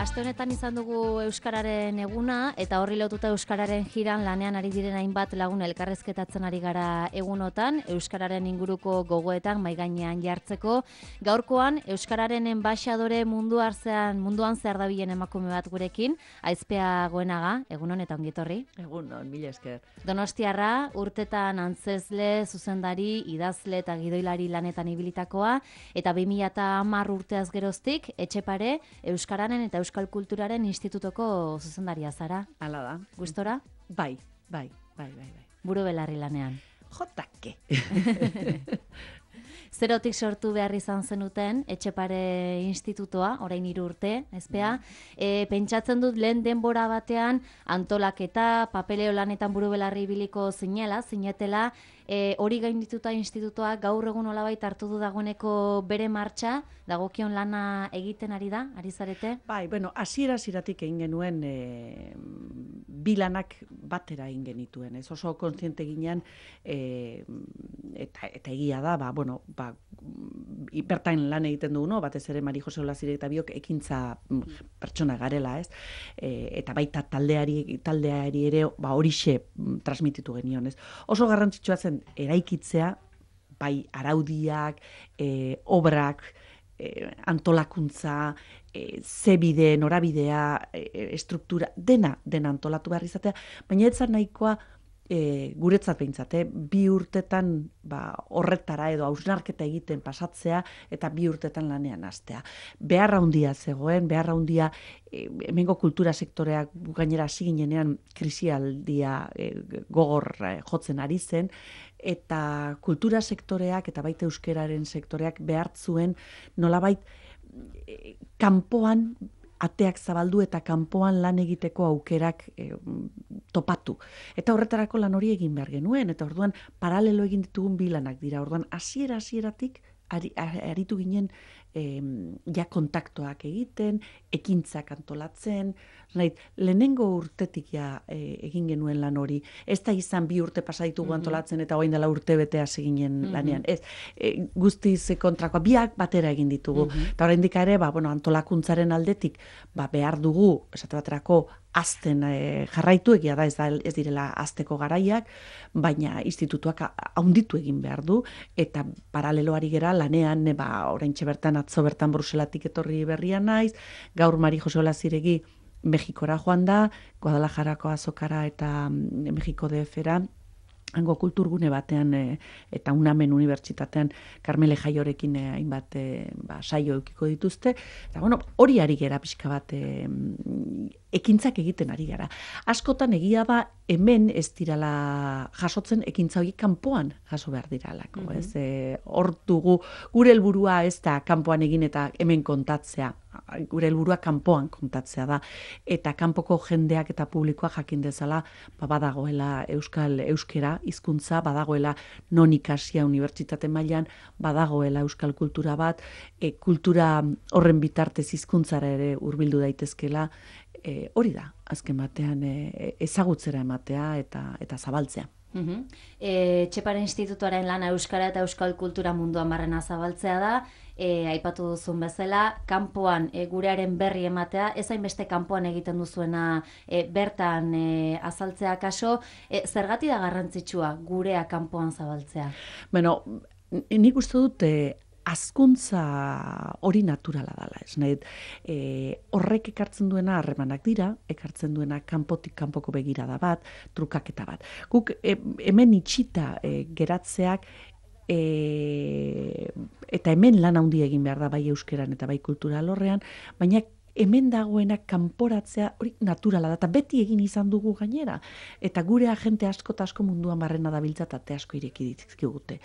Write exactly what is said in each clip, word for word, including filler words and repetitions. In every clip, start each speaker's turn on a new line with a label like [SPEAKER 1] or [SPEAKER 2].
[SPEAKER 1] Aste honetan izan dugu Euskararen eguna eta horri lotuta Euskararen jiran lanean ari diren hainbat lagun elkarrezketatzen ari gara egunotan, Euskararen inguruko gogoetan mai gainean jartzeko. Gaurkoan Euskararen enbaxadore mundu artean munduan zehar dabilen emakume bat gurekin, Aizpea Goenaga, egunon eta ongi etorri.
[SPEAKER 2] Egunon, mila esker.
[SPEAKER 1] Donostiarra, urtetan antzezle, zuzendari, idazle eta gidoilari lanetan ibilitakoa, eta bi mila hamar urteaz geroztik, Etxepare, Euskararen eta Euskal Kulturaren Institutoko zuzendaria zara.
[SPEAKER 2] Hala da.
[SPEAKER 1] Gustora?
[SPEAKER 2] Bai, bai, bai, bai, bai.
[SPEAKER 1] Buru belarri lanean.
[SPEAKER 2] Jotake.
[SPEAKER 1] Zerotik sortu behar izan zenuten, Etxepare Institutoa, orain hiru urte, ezpea. E, pentsatzen dut lehen denbora batean antolaketa, papeleo lanetan buru belarri ibiliko zinela, zinetela, e, hori gaindituta institutoa gaur egun olabait hartu du dagoeneko bere martxa, dagokion lana egiten ari da, ari zarete?
[SPEAKER 2] Bai, bueno, hasiera hasieratik egin genuen e, bi lanak batera egin genituen, ez oso kontziente ginen, e, eta, eta egia da, ba, bueno, ba, bertain lan egiten dugu, no? Batez ere Mari Jose Olazirek eta biok ekintza pertsona garela, ez? E, eta baita taldeari, taldeari ere ba, horixe transmititu genion, ez? Oso garrantzitsua zen eraikitzea, bai araudiak, e, obrak, e, antolakuntza, e, zebide, norabidea, e, estruktura, dena, dena antolatu behar izatea, baina ez zan nahikoa E, guretzat behintzat, eh? bi urtetan ba, horretara edo hausnarketa egiten pasatzea eta bi urtetan lanean hastea. Beharra handia zegoen, beharra handia e, hemengo kultura sektoreak gainera hasi ginenean krisialdia e, gogor e, jotzen ari zen, eta kultura sektoreak eta baita euskeraren sektoreak behartzuen nolabait e, kanpoan ateak zabaldu eta kanpoan lan egiteko aukerak e, topatu. Eta horretarako lan hori egin behar genuen, eta orduan paralelo egin ditugun bi lanak dira. Orduan hasiera hasieratik ari, aritu ginen e, ja kontaktoak egiten, ekintzak antolatzen, nahi, lehenengo urtetik ja e, egin genuen lan hori. Ez da izan bi urte pasa ditugu mm-hmm. antolatzen eta orain dela urte bete hasi ginen mm-hmm. lanean. Ez, e, guztiz kontrakoa, biak batera egin ditugu. Mm-hmm. Eta oraindik ere, ba, bueno, antolakuntzaren aldetik ba, behar dugu, esate baterako, azten e, jarraitu egia da ez, da, ez direla azteko garaiak, baina institutuak haunditu egin behar du, eta paraleloari gera lanean, e, ba, oraintxe bertan atzo bertan Bruselatik etorri berria naiz, gaur Mari Jose Olaziregi Mexikora joan da, Guadalajarako azokara eta mm, Mexiko D F-era, hango kulturgune batean e, eta Unamen Unibertsitatean Karmele Jaiorekin e, hainbat e, ba, saio eukiko dituzte. Eta bueno, hori ari gera pixka bat e, ekintzak egiten ari gara. Askotan egia da hemen ez dirala jasotzen ekintza horiek kanpoan jaso behar diralako. Mm-hmm. Ez, e, hor dugu gure helburua ez da kanpoan egin eta hemen kontatzea. Gure helburua kanpoan kontatzea da. Eta kanpoko jendeak eta publikoa jakin dezala ba, badagoela euskal euskera hizkuntza, badagoela non ikasia unibertsitate mailan, badagoela euskal kultura bat, e, kultura horren bitartez hizkuntzara ere hurbildu daitezkela, e, hori da, azken batean e, ezagutzera ematea eta eta zabaltzea.
[SPEAKER 1] Uhum. E, Etxepare Institutuaren lana euskara eta euskal kultura munduan barrena zabaltzea da, e, aipatu duzun bezala, kanpoan e, gurearen berri ematea, ez hainbeste kanpoan egiten duzuena e, bertan e, azaltzea kaso, e, zergati da garrantzitsua gurea kanpoan zabaltzea?
[SPEAKER 2] Bueno, nik uste dut e, azkuntza hori naturala dela, ez nahi, e, horrek ekartzen duena harremanak dira, ekartzen duena kanpotik kanpoko begirada bat, trukaketa bat. Guk e, hemen itxita e, geratzeak e, eta hemen lan handi egin behar da bai euskeran eta bai kultura alorrean, baina hemen dagoena kanporatzea hori naturala da, eta beti egin izan dugu gainera. Eta gure agente asko eta asko munduan barrena dabiltza eta ate asko ireki dizkigute.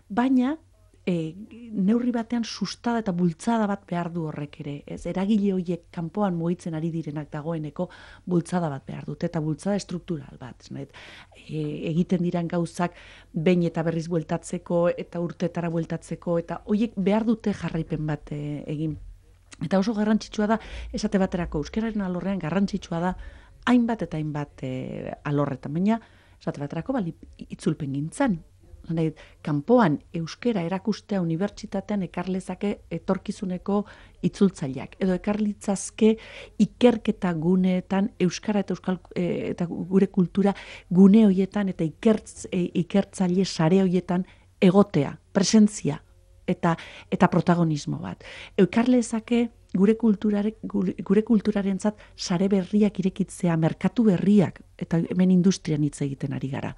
[SPEAKER 2] Baina, E, neurri batean sustada eta bultzada bat behar du horrek ere. Ez, eragile horiek kanpoan mugitzen ari direnak dagoeneko bultzada bat behar dute, eta bultzada estruktural bat. Ez, e, egiten diran gauzak behin eta berriz bueltatzeko, eta urtetara bueltatzeko, eta horiek behar dute jarraipen bat e, egin. Eta oso garrantzitsua da, esate baterako euskararen alorrean garrantzitsua da, hainbat eta hainbat e, alorretan, baina esate baterako bali itzulpen gintzan. kanpoan euskera erakustea unibertsitatean ekarlezake etorkizuneko itzultzaileak. Edo ekarlitzazke ikerketa guneetan euskara eta euskal eta gure kultura gune hoietan eta ikertz, e, ikertzaile sare hoietan egotea, presentzia eta eta protagonismo bat. Ekarlezake gure kulturarek gure kulturarentzat sare berriak irekitzea, merkatu berriak, eta hemen industrian hitz egiten ari gara.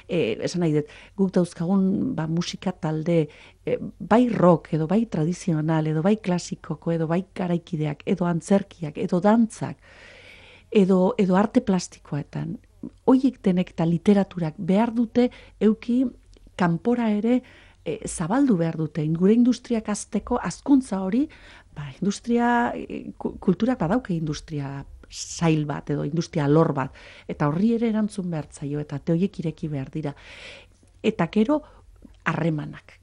[SPEAKER 2] E, esan nahi dut, guk dauzkagun ba, musika talde, e, bai rock, edo bai tradizional, edo bai klasikoko, edo bai garaikideak, edo antzerkiak, edo dantzak, edo, edo arte plastikoetan. Hoiek denek eta literaturak behar dute euki kanpora ere e, zabaldu behar dute. Gure industriak azteko hazkuntza hori, ba, industria, kulturak badauke industria zail bat edo industria lor bat, eta horri ere erantzun behar zaio, eta teoiek ireki behar dira. Eta gero, harremanak,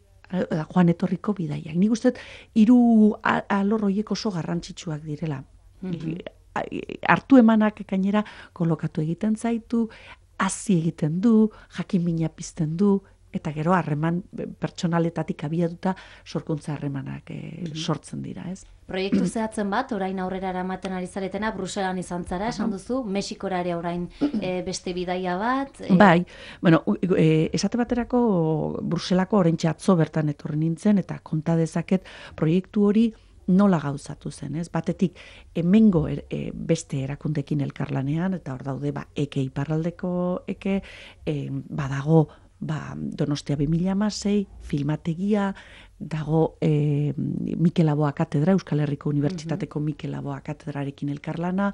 [SPEAKER 2] joan etorriko bidaiak. Nik uste, hiru alor horiek oso garrantzitsuak direla. Mm-hmm. Hartu emanak gainera kolokatu egiten zaitu, hazi egiten du, jakin-mina pizten du, eta gero harreman pertsonaletatik abiatuta sorkuntza harremanak e, mm-hmm. sortzen dira, ez?
[SPEAKER 1] Proiektu zehatzen bat, orain aurrera eramaten ari zaretena, Bruselan izan zara, esan duzu, Mexikora ere orain e, beste bidaia bat. E...
[SPEAKER 2] Bai, bueno, e, esate baterako Bruselako oraintxe atzo bertan etorri nintzen, eta konta dezaket proiektu hori nola gauzatu zen, ez? Batetik, hemengo er, e, beste erakundekin elkarlanean, eta hor daude, ba, eke iparraldeko eke, e, badago, ba, Donostia bi mila hamasei, filmategia, dago e, Mikel Laboa katedra, Euskal Herriko Unibertsitateko mm-hmm. Mikel Laboa katedrarekin elkarlana,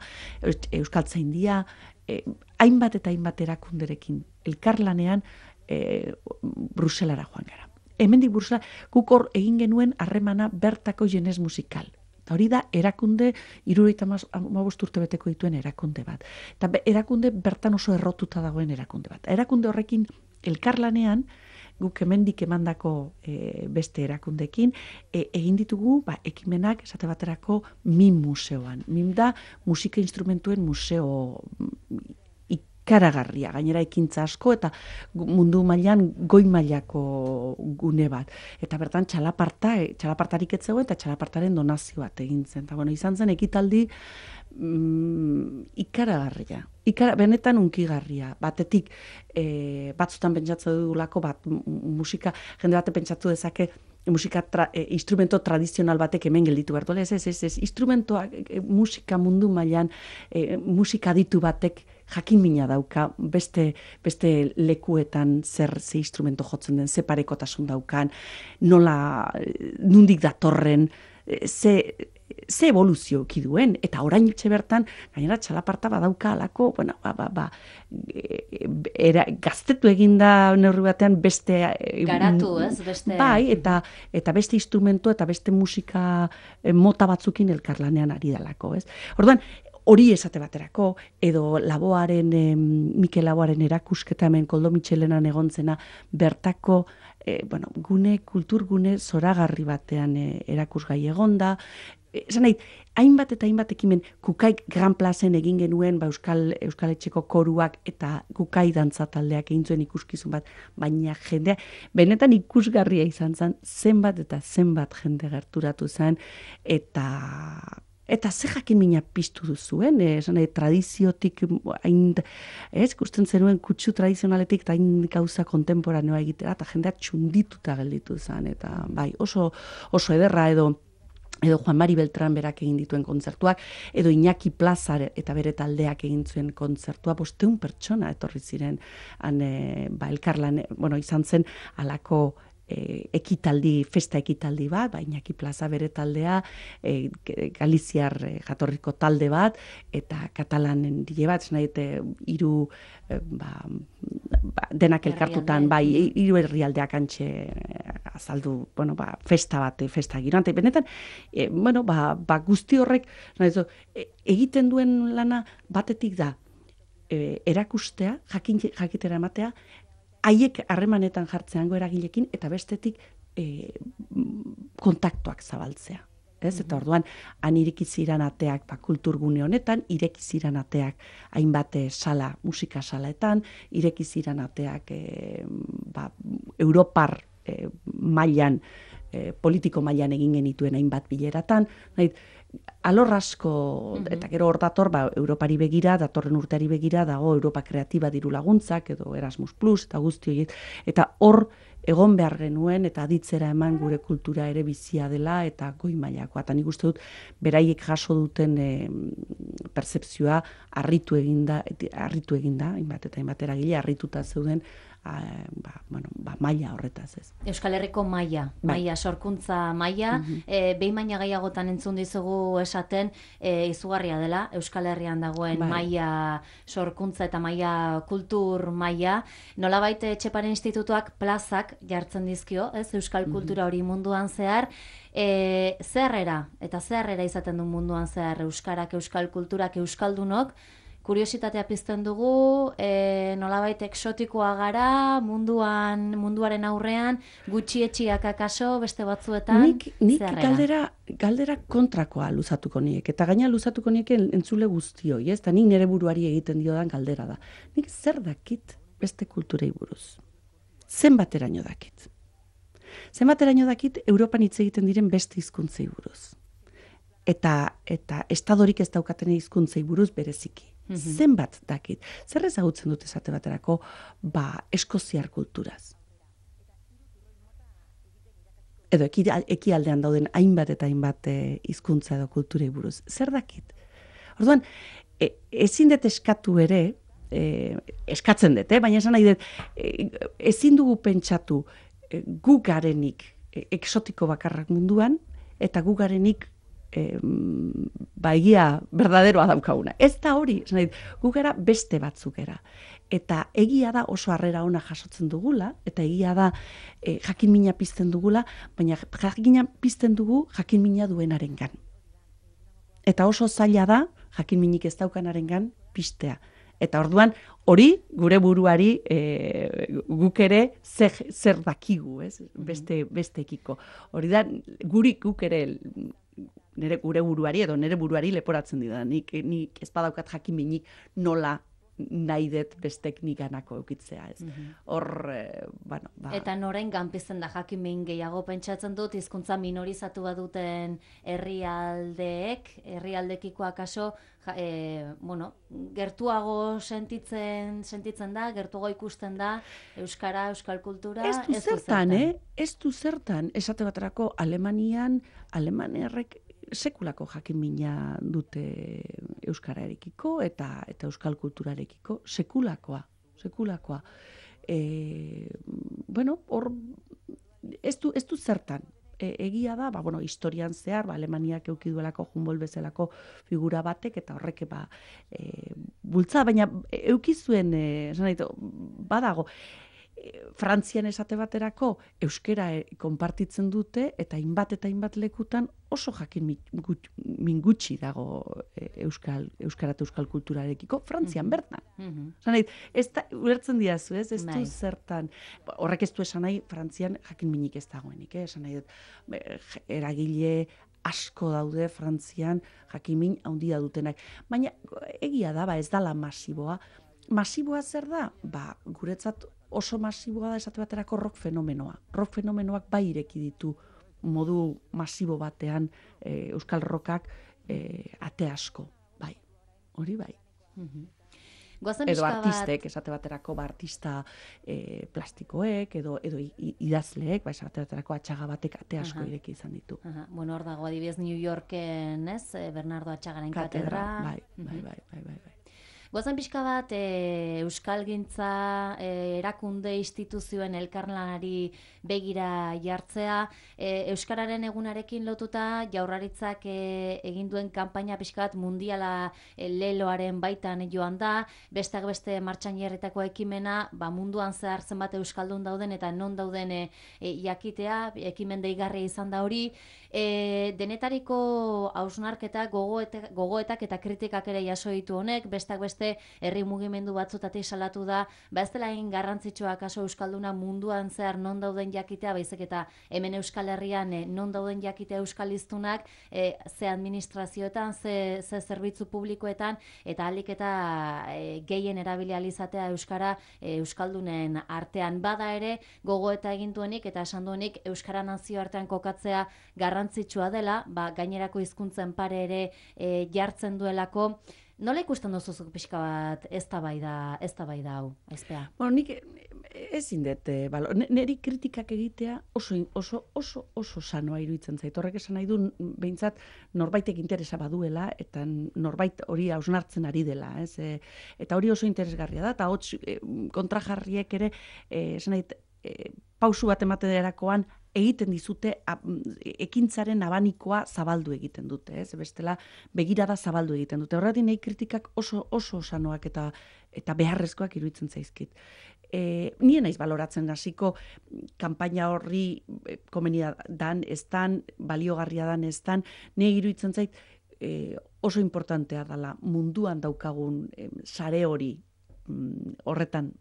[SPEAKER 2] Euskaltzaindia, e, hainbat eta hainbat erakunderekin elkarlanean e, Bruselara joan gara. Hemendik Brusela, guk hor egin genuen harremana bertako jenez musikal. Eta hori da, erakunde, hirurogeita hamabost urte beteko dituen erakunde bat. Eta erakunde bertan oso errotuta dagoen erakunde bat. Erakunde horrekin elkarlanean, guk hemendik emandako e, beste erakundekin, e, egin ditugu ba, ekimenak esate baterako MIM museoan. MIM da musika instrumentuen museo ikaragarria, gainera ekintza asko eta mundu mailan goi mailako gune bat. Eta bertan txalaparta, e, txalapartarik ez zegoen eta txalapartaren donazio bat egin zen. Eta bueno, izan zen ekitaldi mm, ikaragarria. Ikara, benetan unkigarria. Batetik, e, batzutan pentsatzen dugulako, bat musika, jende bate pentsatu dezake, musika tra, e, instrumento tradizional batek hemen gelditu behar duela. Ez, ez, ez, ez, instrumentoak, e, musika mundu mailan, e, musika aditu batek jakin-mina dauka, beste, beste lekuetan zer ze instrumento jotzen den, ze parekotasun daukan, nola, nundik datorren, ze, ze evoluzio duen, eta orain itxe bertan, gainera txalaparta badauka alako, bueno, ba, ba, ba, era, gaztetu eginda neurri batean beste...
[SPEAKER 1] Garatu, ez? Beste...
[SPEAKER 2] Bai, eta, eta beste instrumento eta beste musika mota batzukin elkarlanean ari dalako, ez? Orduan, hori esate baterako, edo Laboaren, eh, Mikel Laboaren erakusketa hemen Koldo Mitxelenan egontzena bertako eh, bueno, gune, kulturgune zoragarri batean eh, erakusgai egonda. Esan nahi, hainbat eta hainbat ekimen Kukaik Gran Plazen egin genuen ba, Euskal, Euskal Etxeko koruak eta Kukai dantza taldeak egin zuen ikuskizun bat, baina jendea, benetan ikusgarria izan zen, zenbat eta zenbat jende gerturatu zen, eta... Eta ze jakin-mina piztu duzuen, eh, esan, eh, tradiziotik, hain, ez, ikusten zenuen kutsu tradizionaletik eta hain gauza kontemporaneoa egitera, eta jendeak txundituta gelditu zen, eta bai, oso, oso ederra edo, edo Juan Mari Beltran berak egin dituen kontzertuak, edo Iñaki Plaza eta bere taldeak egin zuen kontzertua, bosteun pertsona etorri ziren, han, eh, ba, elkarlan, bueno, izan zen alako, E, ekitaldi, festa ekitaldi bat, ba, Iñaki Plaza bere taldea, e, Galiziar e, jatorriko talde bat, eta katalanen dile bat, nahi, hiru e, ba, ba, denak elkartutan, bai, hiru herrialdeak antxe azaldu, bueno, ba, festa bat, festa giro. Ante, benetan, e, bueno, ba, ba, guzti horrek, nahi, zo, e, egiten duen lana batetik da, e, erakustea, jakin, jakitera ematea, haiek harremanetan jartzeango eragilekin, eta bestetik e, kontaktuak zabaltzea. Ez? Eta orduan, han irikiziran ateak, ba, kulturgune honetan, irekiziran ateak hainbat sala, musika salaetan, irekiziran ateak e, ba, Europar e, mailan, e, politiko mailan egin genituen hainbat bileratan, nahi, alor asko, eta gero hor dator, ba, Europari begira, datorren urteari begira, dago Europa Kreatiba diru laguntzak, edo Erasmus Plus, eta guzti horiek, eta hor egon behar genuen, eta aditzera eman gure kultura ere bizia dela, eta goi mailakoa. Eta nik uste dut, beraiek jaso duten e, pertzepzioa harritu eginda, harritu eginda, hainbat eta hainbat eragile, harrituta zeuden, a, ba, bueno, ba, maila horretaz ez.
[SPEAKER 1] Euskal Herriko maila, maila, sorkuntza maila, mm -hmm. e, behin baina gehiagotan entzun dizugu esaten, e, izugarria dela, Euskal Herrian dagoen bai. Maila sorkuntza eta maila kultur maila, nolabait Etxepare Institutuak plazak jartzen dizkio, ez, Euskal kultura hori munduan zehar, e, zerrera, eta zerrera izaten du munduan zehar, Euskarak, Euskal kulturak, Euskaldunok, kuriositatea pizten dugu, e, nolabait eksotikoa gara, munduan, munduaren aurrean, gutxietxiak akaso, beste batzuetan,
[SPEAKER 2] nik, nik galdera, galdera kontrakoa luzatuko niek, eta gaina luzatuko niek entzule guztioi, ez? Eta nik nire buruari egiten diodan galdera da. Nik zer dakit beste kulturei buruz? Zenbateraino dakit? Zenbateraino dakit Europan hitz egiten diren beste hizkuntzei buruz? Eta, eta estadorik ez daukaten hizkuntzei buruz bereziki. Mm-hmm. Zenbat dakit. Zer ezagutzen dut esate baterako, ba, eskoziar kulturaz. Edo ekialdean dauden hainbat eta hainbat hizkuntza edo kulturei buruz. Zer dakit? Orduan, e, ezin dut eskatu ere, e, eskatzen dut, eh? Baina esan nahi dut, e, ezin dugu pentsatu e, gu garenik e, eksotiko bakarrak munduan, eta gu garenik E, ba, egia berdaderoa daukaguna. Ez da hori, gu gara beste batzuk era. Eta egia da oso harrera ona jasotzen dugula, eta egia da e, jakin mina pizten dugula, baina jakina pizten dugu jakin mina duenarengan. Eta oso zaila da jakin minik ez daukanarengan piztea. Eta orduan, hori gure buruari e, guk ere zer, zer dakigu, ez? Beste, bestekiko. Hori da, guri guk ere nere gure buruari edo nere buruari leporatzen dira. Nik, nik ez badaukat jakin minik nola nahi dut bestek niganako eukitzea, ez. Hor, e, bueno, ba...
[SPEAKER 1] Eta norain ganpizten da jakin min gehiago pentsatzen dut, hizkuntza minorizatu baduten herrialdeek, herrialdekiko akaso, ja, e, bueno, gertuago sentitzen, sentitzen da, gertuago ikusten da, euskara, euskal kultura,
[SPEAKER 2] ez du zertan, eh? Ez du zertan, esate baterako Alemanian, Alemanerrek sekulako jakinmina dute euskararekiko eta eta euskal kulturarekiko sekulakoa, sekulakoa. E, bueno, hor ez du ez du zertan. E, egia da, ba bueno, historian zehar, ba Alemaniak eduki duelako Humboldt bezalako figura batek eta horrek ba e, bultza, baina eduki zuen, eh, esan ditu, badago Frantzian esate baterako euskera konpartitzen dute eta hainbat eta hainbat lekutan oso jakin min gutxi dago euskal euskara eta euskal kulturarekiko Frantzian mm-hmm. bertan. Mm-hmm. Esan ez da ulertzen diazu, ez? Ez du zertan. Horrek ez du esan nahi Frantzian jakin minik ez dagoenik, eh? Esan nahi dut eragile asko daude Frantzian jakimin handia dutenak. Baina egia da, ba ez dala masiboa. Masiboa zer da? Ba, guretzat oso masiboa da esate baterako rock fenomenoa. Rock fenomenoak bai ireki ditu modu masibo batean e, euskal rockak e, ate asko, bai. Hori bai.
[SPEAKER 1] Mm-hmm.
[SPEAKER 2] Edo artistek, esate baterako ba, artista e, plastikoek, edo, edo idazleek, ba, esate baterako atxaga batek ate asko uh-huh. ireki izan ditu.
[SPEAKER 1] Uh-huh. Bueno, hor dago adibidez New Yorken, ez? Bernardo Atxagaren katedra.
[SPEAKER 2] Bai, bai, bai, bai, bai, bai.
[SPEAKER 1] Goazen pixka bat, e, euskalgintza, e, erakunde instituzioen elkarlanari begira jartzea, e, euskararen egunarekin lotuta jaurlaritzak e, egin duen kanpaina pixka bat mundiala e, leloaren baitan joan da, besteak beste martxan jarritako ekimena, ba, munduan zehar zenbat euskaldun dauden eta non dauden e, e, jakitea, ekimen deigarria izan da hori, e, denetariko hausnarketa gogoetak, gogoetak eta kritikak ere jaso ditu honek, besteak beste beste herri mugimendu batzutatik salatu da, ba ez dela egin garrantzitsua kaso euskalduna munduan zehar non dauden jakitea, baizik eta hemen Euskal Herrian eh, non dauden jakitea euskal hiztunak, eh, ze administrazioetan, ze, ze zerbitzu publikoetan, eta ahalik eta eh, gehien erabili ahal izatea euskara eh, euskaldunen artean. Bada ere gogo eta egin duenik eta esan duenik euskara nazio artean kokatzea garrantzitsua dela, ba, gainerako hizkuntzen pare ere e, jartzen duelako. Nola ikusten duzuzuk pixka bat eztabaida eztabaida hau, Aizpea?
[SPEAKER 2] Bueno, nik ezin dut, balo, niri kritikak egitea oso oso oso oso sanoa iruditzen zait. Horrek esan nahi du behintzat norbaitek interesa baduela eta norbait hori hausnartzen ari dela, ez? E, eta hori oso interesgarria da, eta hots e, kontrajarriek ere e, esan nahi e, pausu bat ematerakoan egiten dizute a, ekintzaren abanikoa zabaldu egiten dute, ez? Bestela begirada zabaldu egiten dute. Horregatik nahi kritikak oso oso sanoak eta eta beharrezkoak iruditzen zaizkit. E, nien naiz baloratzen hasiko kanpaina horri komenia dan, ez dan, baliogarria dan, ez dan, nire iruditzen zait e, oso importantea dela munduan daukagun e, sare hori mm, horretan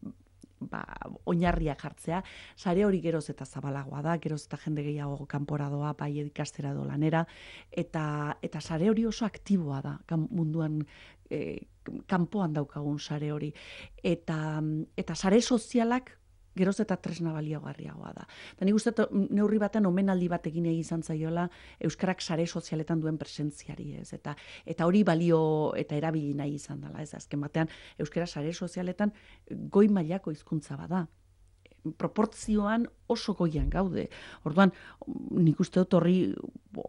[SPEAKER 2] ba, oinarria jartzea, sare hori geroz eta zabalagoa da, geroz eta jende gehiago kanpora doa, bai ikastera do lanera, eta, eta sare hori oso aktiboa da, munduan e, kanpoan daukagun sare hori. Eta, eta sare sozialak geroz eta tresna baliagarriagoa da. Eta nik uste neurri batean omenaldi bat egin izan zaiola euskarak sare sozialetan duen presentziari, ez? Eta, eta hori balio eta erabili nahi izan dela, ez? Azken batean euskara sare sozialetan goi mailako hizkuntza bada. Proportzioan oso goian gaude. Orduan, nik uste dut horri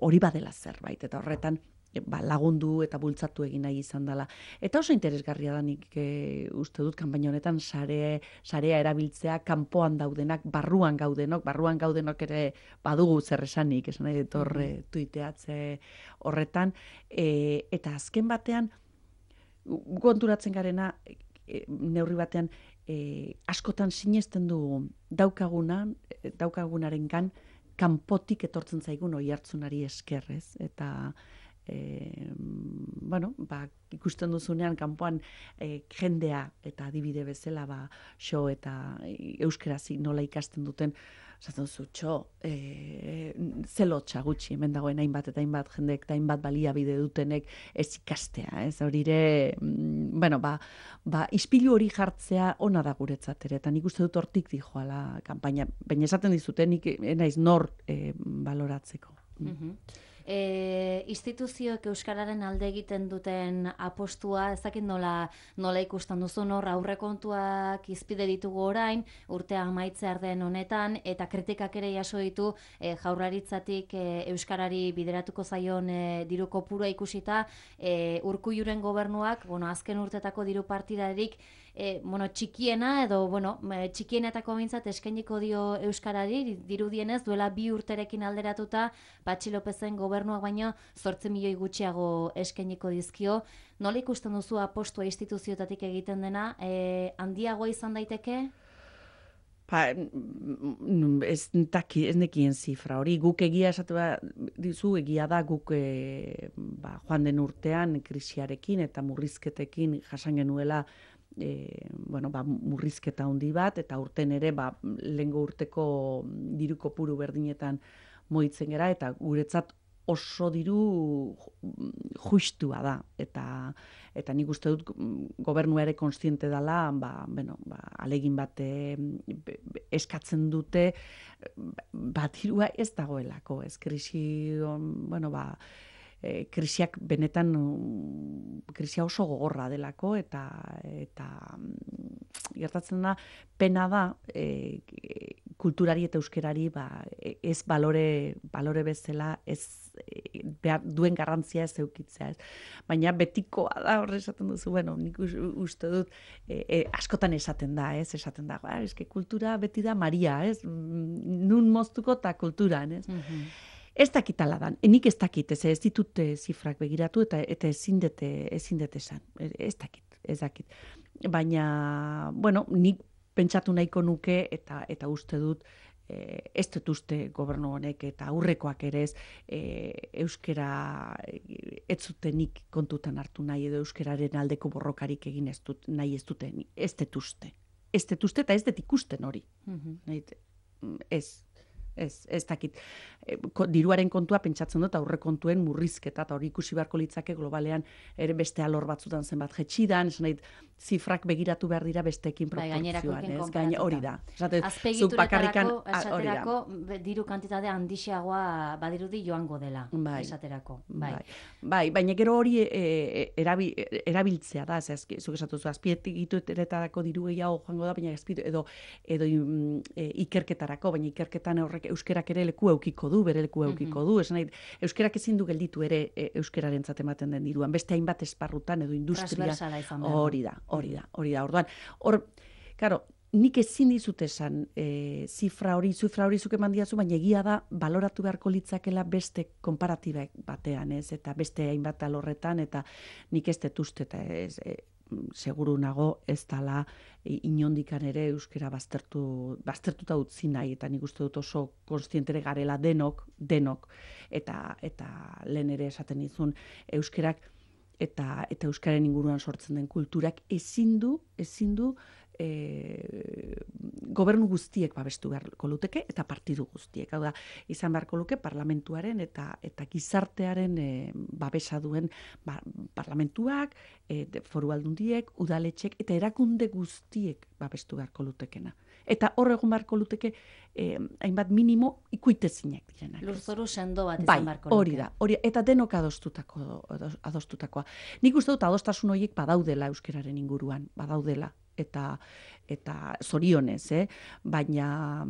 [SPEAKER 2] hori badela zerbait, eta horretan ba, lagundu eta bultzatu egin nahi izan dela. Eta oso interesgarria da nik e, uste dut kanpaina honetan sare, sarea erabiltzea kanpoan daudenak, barruan gaudenok, barruan gaudenok ere badugu zer esanik, esan nahi dut horre tuiteatze horretan, e, eta azken batean konturatzen garena e, neurri batean e, askotan sinesten dugu daukagunan, daukagunarengan kanpotik etortzen zaigun oihartzunari esker, ez? Eta E, bueno, ba, ikusten duzunean kanpoan e, jendea eta adibide bezala ba, xo eta euskaraz nola ikasten duten, esaten duzu, txo, e, zelotxa gutxi, hemen dagoen hainbat eta hainbat jendek eta hainbat baliabide dutenek ez ikastea, ez horire, bueno, ba, ba, ispilu hori jartzea ona da guretzat ere, eta nik uste dut hortik dijoala kanpaina, baina esaten dizute, nik naiz nor e, baloratzeko.
[SPEAKER 1] Mm-hmm. E, instituzioek euskararen alde egiten duten apostua, ez dakit nola, nola ikusten duzu, nor aurrekontuak izpide ditugu orain, urtea amaitzear den honetan, eta kritikak ere jaso ditu e, jaurlaritzatik e, euskarari bideratuko zaion e, diru kopurua ikusita, e, Urkulluren gobernuak, bueno, azken urtetako diru partidarik E, bueno, txikiena edo bueno, txikienetako bintzat eskainiko dio euskarari, dirudienez duela bi urterekin alderatuta Patxi Lopezen gobernuak baino zortzi milioi gutxiago eskainiko dizkio. Nola ikusten duzu apostua instituzioetatik egiten dena, e, handiagoa izan daiteke?
[SPEAKER 2] Pa, ez, taki, ez nekien zifra hori, guk egia esatu ba, dizu, egia da guk e, ba, joan den urtean krisiarekin eta murrizketekin jasan genuela E, bueno, ba, murrizketa handi bat, eta urten ere ba, lehengo urteko diru kopuru berdinetan moitzen gera, eta guretzat oso diru justua da, eta, eta nik uste dut gobernua ere konstiente dela, ba, bueno, ba, alegin bat e, eskatzen dute, bat dirua ez dagoelako, ez krisi, bueno, ba, E, krisiak benetan krisia oso gogorra delako eta eta gertatzen da pena da e, kulturari eta euskerari ba, ez balore balore bezala ez e, behar, duen garrantzia ez eukitzea, ez. Baina betikoa da horre esaten duzu, bueno, nik uste dut e, e, askotan esaten da, ez, esaten da, ba, eske kultura beti da Maria, ez, nun moztuko eta kulturan, ez. Mm-hmm. Ez dakitala dan, nik ez dakit, ez, ez ditut zifrak begiratu eta eta ezin dute ezin dute esan, ez dakit, ez dakit. Baina, bueno, nik pentsatu nahiko nuke eta eta uste dut e, ez dut uste gobernu honek eta aurrekoak ere ez e, euskera ez zutenik kontutan hartu nahi edo euskeraren aldeko borrokarik egin ez dut, nahi ez duten, ez dut uste. Ez dut uste eta ez dut ikusten hori. Mm-hmm. Ez. Ez, ez dakit. E, ko, diruaren kontua pentsatzen dut aurre kontuen murrizketa eta hori ikusi beharko litzake globalean ere beste alor batzutan zenbat jetxidan, esan nahi, zifrak begiratu behar dira besteekin proportzioan, ez? Gaina hori da.
[SPEAKER 1] Azpegituretarako, esaterako, diru kantitate handixeagoa badirudi joango dela,
[SPEAKER 2] bai,
[SPEAKER 1] esaterako. Bai.
[SPEAKER 2] Bai. Bai, baina gero hori e, erabi, erabiltzea da, ez, zuk esatu zu, azpegituretarako diru gehiago joango da, baina azpitu, edo, edo e, ikerketarako, baina ikerketan horrek euskerak ere leku eukiko du, bere leku eukiko du, esan nahi, euskerak ezin du gelditu ere e, euskerarentzat ematen den diruan, beste hainbat esparrutan edo industria, hori da, hori da, hori da, orduan, hor, karo, nik ezin dizut esan e, zifra hori, zifra hori zuke mandiazu, baina egia da, baloratu beharko litzakela beste konparatibak batean, ez, eta beste hainbat alorretan, eta nik ez dut uste, eta ez, e, seguru nago ez dala inondikan ere euskera baztertu, baztertuta utzi nahi, eta nik uste dut oso konstientere garela denok, denok, eta, eta lehen ere esaten izun euskerak, eta, eta euskaren inguruan sortzen den kulturak ezin du, ezin du, E, gobernu guztiek babestu beharko luteke eta partidu guztiek. Hau da, izan beharko luke parlamentuaren eta eta gizartearen e, babesa duen ba, parlamentuak, e, foru aldundiek, udaletxek eta erakunde guztiek babestu beharko lutekena. Eta hor egon beharko luteke e, hainbat minimo ikuitezinak direnak.
[SPEAKER 1] Lurzoru sendo bat izan beharko luke.
[SPEAKER 2] Hori da, hori, eta denok adostutako, adostutakoa. Nik uste dut adostasun horiek badaudela euskeraren inguruan, badaudela. Eta, eta zorionez, eh? Baina,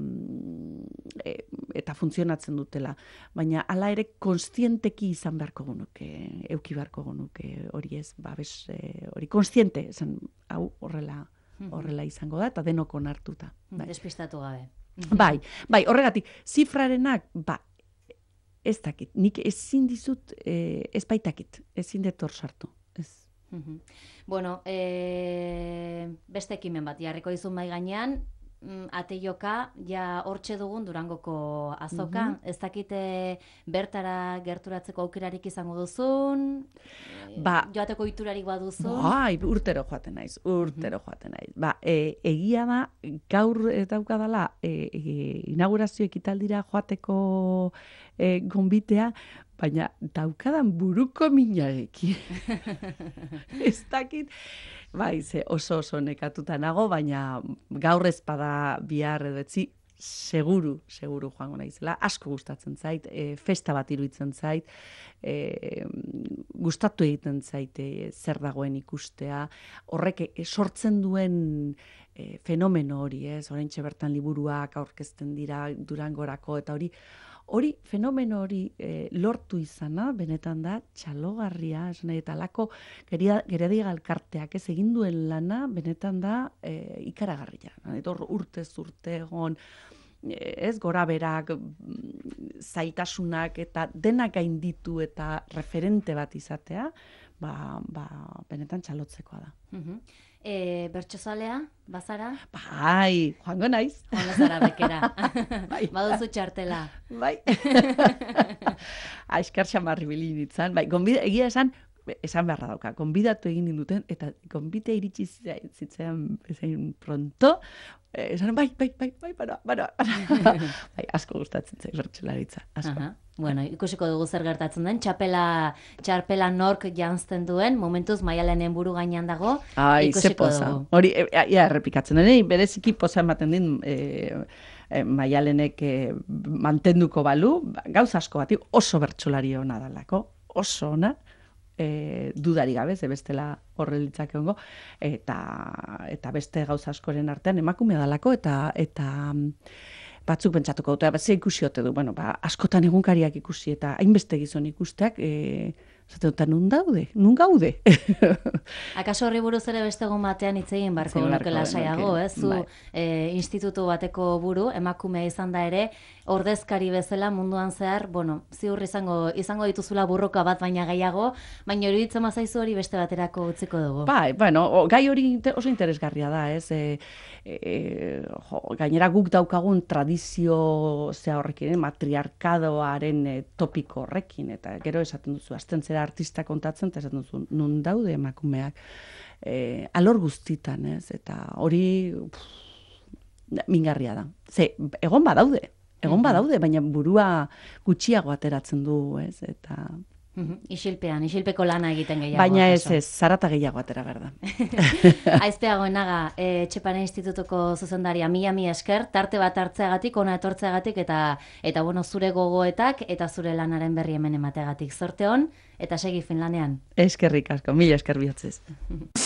[SPEAKER 2] e, eta funtzionatzen dutela. Baina, hala ere, konstienteki izan beharko genuke, euki beharko genuke hori ez, babes, hori konstiente, esan, hau horrela, horrela izango da, eta denok onartuta.
[SPEAKER 1] Bai. Despistatu gabe.
[SPEAKER 2] Bai, bai, horregatik, zifrarenak, ba, ez dakit, nik ezin dizut, e, ez baitakit, ezin dut hor sartu, ez.
[SPEAKER 1] Uh-huh. Bueno, e, beste ekimen bat jarriko dizun mai gainean, ate joka, ja hortxe dugun Durangoko azoka, uh-huh. Ez dakite bertara gerturatzeko aukerarik izango duzun,
[SPEAKER 2] ba,
[SPEAKER 1] joateko iturarik baduzun.
[SPEAKER 2] Bai, urtero joaten naiz, urtero uh-huh. joaten naiz. Ba, e, egia da, gaur daukadala, e, e, inaugurazio ekitaldira joateko e, gonbitea, baina daukadan buruko minarekin. Ez dakit, bai, ze oso oso nekatuta nago, baina gaur ez bada bihar edo etzi, seguru, seguru joango naizela. Asko gustatzen zait, e, festa bat iruditzen zait, e, gustatu egiten zait e, zer dagoen ikustea, horrek e, sortzen duen e, fenomeno hori, ez? Oraintxe bertan liburuak aurkezten dira Durangorako, eta hori, Hori, fenomeno hori e, lortu izana, benetan da, txalogarria, esan eta lako geredi galkarteak ez egin duen lana, benetan da e, ikaragarria. Eta urtez urte egon, ez gora berak, zaitasunak eta denak gainditu eta referente bat izatea, ba, ba, benetan txalotzekoa da.
[SPEAKER 1] Uh-huh. E, bertsozalea, bazara?
[SPEAKER 2] Bai, joango naiz.
[SPEAKER 1] Joango zara bekera.
[SPEAKER 2] Bai.
[SPEAKER 1] Baduzu txartela.
[SPEAKER 2] Bai. Aiskar xamarri bilin ditzan. Bai, gonbida, egia esan, esan beharra dauka, gonbidatu egin duten, eta gonbite iritsi zitzen bezain pronto, esan, bai, bai, bai, bai, bara, bara. Bai, asko gustatzen zait bertsolaritza, asko.
[SPEAKER 1] Aha. Bueno, ikusiko dugu zer gertatzen den, txapela, txarpela nork janzten duen, momentuz Maialenen buru gainean dago,
[SPEAKER 2] ai,
[SPEAKER 1] ikusiko dugu.
[SPEAKER 2] Hori, ia, ia errepikatzen den, bereziki poza ematen din e, e, Maialenek e, mantenduko balu, gauza asko bati oso bertsolari ona dalako, oso ona, e, dudari gabe, ze bestela horrelitzak egongo, eta, eta beste gauza askoren artean emakumea dalako, eta... eta batzuk pentsatuko dute, bat ze ikusi ote du, bueno, ba, askotan egunkariak ikusi eta hainbeste gizon ikusteak, e, Zaten dut, nun daude, nun gaude.
[SPEAKER 1] Akaso horri buruz ere beste egun batean hitz egin barko nuke lasaiago, ez? Zu
[SPEAKER 2] bai.
[SPEAKER 1] e, institutu bateko buru, emakumea izan da ere, ordezkari bezala munduan zehar, bueno, ziur izango izango dituzula burroka bat baina gehiago, baina hori ditzen mazaizu hori beste baterako utziko dugu.
[SPEAKER 2] Bai, bueno, o, gai hori oso interesgarria da, ez? E, e, jo, gainera guk daukagun tradizio zea horrekin, matriarkadoaren e, topiko horrekin, eta gero esaten duzu, azten zera artista kontatzen, eta esaten duzu, nun daude emakumeak, e, alor guztitan, ez? Eta hori pff, mingarria da. Ze, egon badaude, egon badaude, baina burua gutxiago ateratzen du, ez? Eta...
[SPEAKER 1] Isilpean, isilpeko lana egiten gehiago.
[SPEAKER 2] Baina ez ez, zarata gehiago atera berda.
[SPEAKER 1] Aizpea Goenaga, e, Etxepare Institutuko zuzendaria, mila mi esker, tarte bat hartzeagatik, ona etortzeagatik, eta eta bueno, zure gogoetak eta zure lanaren berri hemen emateagatik. Zorte on, eta segi Finlandean.
[SPEAKER 2] Eskerrik asko, mila esker bihotzez.